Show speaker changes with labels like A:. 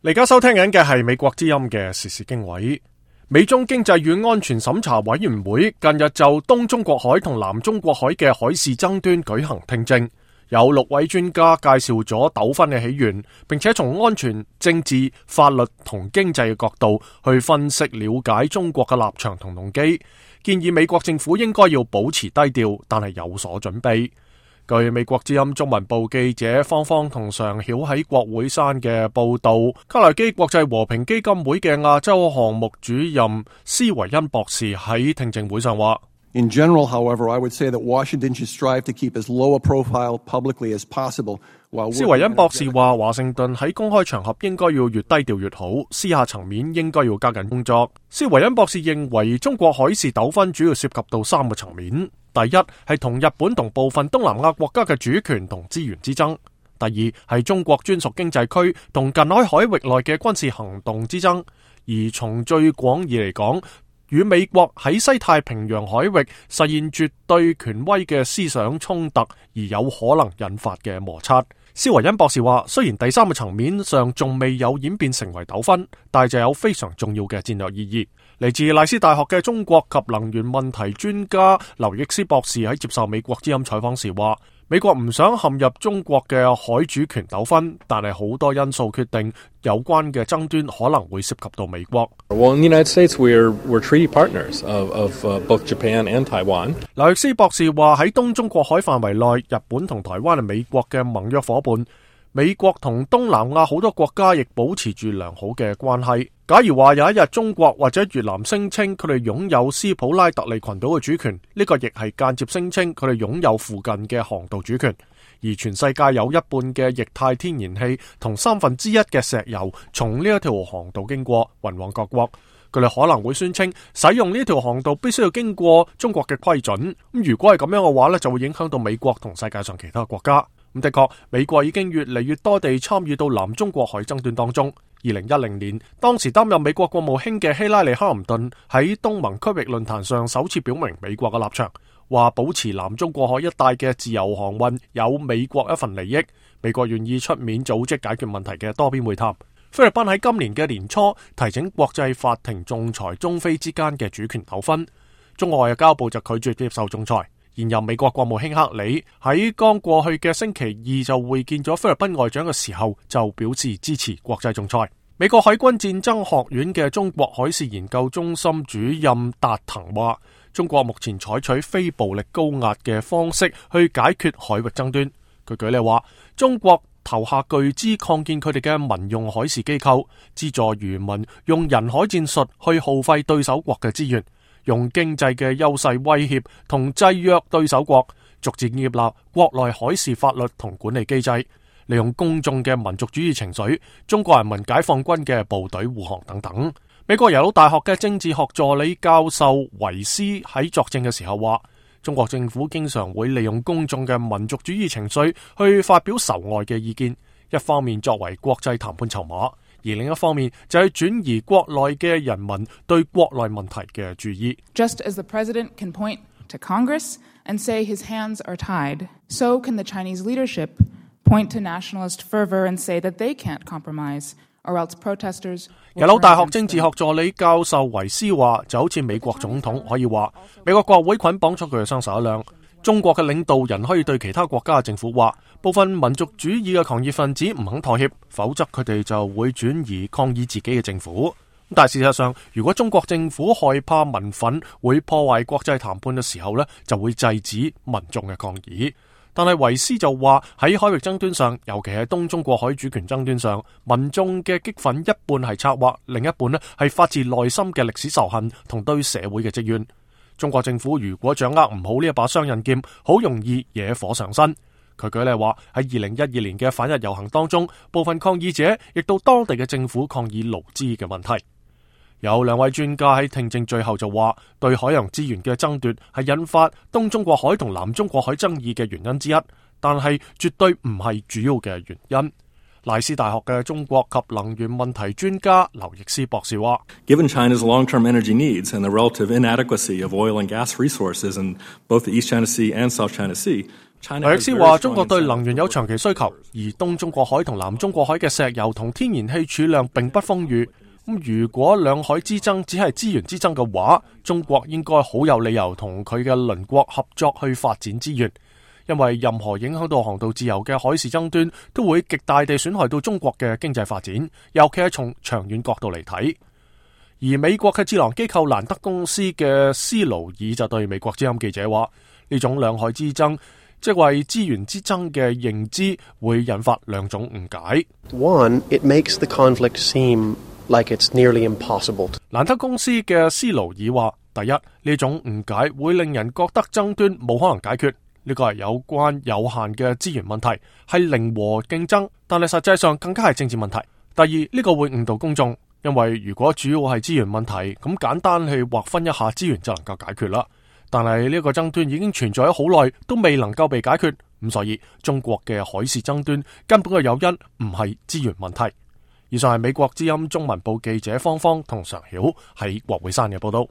A: 而家收聽緊嘅係美國之音嘅時事經緯。美中經濟與安全審查委員會近日就東中國海同南中國海嘅海事爭端舉行聽證，有6位專家介紹咗糾紛嘅起源，並且從安全、政治、法律同經濟嘅角度去分析了解中國嘅立場同動機，建議美國政府應該要保持低調，但係有所準備。據美國之音中文部記者芳芳同常曉喺國會山嘅報道，卡內基國際和平基金會嘅亞洲項目主任施維恩博士喺聽證會上話
B: ：In general, however, I would say that Washington should strive to keep as low a profile publicly as possible. 施維恩博士話，華盛頓喺公開場合應該要越低調越好，私下層面應該要加緊工作。施維恩博士認為，中國海事糾紛主要涉及到3個層面。第一係同日本同部分東南亞國家嘅主權同資源之爭；第二係中國專屬經濟區同近海海域內嘅軍事行動之爭；而從最廣義嚟講，與美國喺西太平洋海域實現絕對權威嘅思想衝突而有可能引發嘅摩擦。施維恩博士話，雖然第3個層面上仲未有演變成為糾紛，但係就有非常重要嘅戰略意義。嚟自賴斯大學嘅中國及能源問題專家劉易斯博士喺接受美國之音採訪時話，美國唔想陷入中國嘅海主權糾紛，但係好多因素決定有關嘅爭端可能會涉及到美國。
C: Well, in the United States, we're treaty partners of both Japan and Taiwan.
A: 劉易斯博士話，喺東中國海範圍內，日本同台灣係美國嘅盟約伙伴。美國同東南亞好多國家亦保持住良好嘅關係。假如話有一日中國或者越南聲稱佢哋擁有斯普拉特利群島嘅主權，呢個亦係間接聲稱佢哋擁有附近嘅航道主權。而全世界有一半嘅液態天然氣同1/3嘅石油從呢一條航道經過，運往各國。佢哋可能會宣稱使用呢條航道必須要經過中國嘅規准。咁如果係咁樣嘅話呢，就會影響到美國同世界上其他國家。咁的確，美國已經越嚟越多地參與到南中國海爭端當中。2010年，當時擔任美國國務卿嘅希拉里·哈林頓喺東盟區域論壇上首次表明美國嘅立場，話保持南中國海一帶嘅自由航運有美國一份利益，美國願意出面組織解決問題嘅多邊會談。菲律賓喺今年嘅年初提請國際法庭仲裁中菲之間嘅主權糾紛，中國外交部就拒絕接受仲裁。現任美國國務卿克里喺剛過去嘅星期二就會見咗菲律賓外長嘅時候，就表示支持國際仲裁。美國海軍戰爭學院嘅中國海事研究中心主任達騰話，中國目前採取非暴力高壓嘅方式去解決海域爭端。佢舉例話，中國投下巨資擴建佢哋嘅民用海事機構，資助漁民用人海戰術去耗費對手國嘅資源，用經濟嘅優勢威脅同制約對手國，逐漸建立國內海事法律同管理機制，利用公眾嘅民族主義情緒、中國人民解放軍嘅部隊護航等等。美國耶魯大學嘅政治學助理教授維斯喺作證嘅時候話，中國政府經常會利用公眾嘅民族主義情緒去發表仇外嘅意見，一方面作為國際談判籌碼，而另一方面就係轉移國內嘅人民對國內問題嘅注意。
D: Just as the president can point to Congress and say his hands are tied, so can the Chinese leadership point to nationalist fervor and say that they can't compromise, or else protesters...
A: 耶魯大學政治學助理教授維斯話，就好似美國總統可以話，美國國會捆綁咗佢嘅雙手一樣。中國嘅領導人可以對其他國家嘅政府話，部分民族主義嘅狂熱分子唔肯妥協，否則佢哋就會轉移抗議自己嘅政府。但係事實上，如果中國政府害怕民憤會破壞國際談判嘅時候呢，就會制止民眾嘅抗議。但係維斯就話，喺海域爭端上，尤其係東中國海主權爭端上，民眾嘅激憤一半係策劃，另一半呢係發自內心嘅歷史仇恨同對社會嘅積怨。中國政府如果掌握唔好呢一把雙刃劍，好容易惹火上身。佢舉例話，喺2012年嘅反日遊行當中，部分抗議者亦到當地嘅政府抗議勞資嘅問題。有2位專家喺聽證最後就話，對海洋資源嘅爭奪係引發東中國海同南中國海爭議嘅原因之一，但係絕對唔係主要嘅原因。賴斯大學嘅中國及能源問題專家劉易斯博士話
C: Given China's long-term energy needs and the relative inadequacy of oil and gas resources in both the East China Sea and South China Sea，
A: 劉易斯話中國對能源有長期需求，而東中國海同南中國海嘅石油同天然氣儲量並不豐裕。咁如果兩海之爭只係資源之爭嘅話，中國應該好有理由同佢嘅鄰國合作去發展資源。因為任何影響到航道自由嘅海事爭端，都會極大地損害到中國嘅經濟發展，尤其係從長遠角度嚟睇。而美國嘅智囊機構蘭德公司嘅斯勞爾就對美國之音記者話：呢種兩海之爭，即為資源之爭嘅認知，會引發兩種誤解。
E: One, it makes the conflict seem like it's nearly impossible.
A: 蘭德公司嘅斯勞爾話：第一，呢種誤解會令人覺得爭端冇可能解決。呢個係有關有限嘅資源問題，係零和競爭，但係實際上更加係政治問題。第二，呢個會誤導公眾，因為如果主要係資源問題，咁簡單去劃分一下資源就能夠解決啦。但係呢個爭端已經存在咗好耐，都未能夠被解決，咁所以中國嘅海事爭端根本嘅誘因唔係資源問題。以上係美國之音中文部記者方方同常曉喺國會山嘅報道。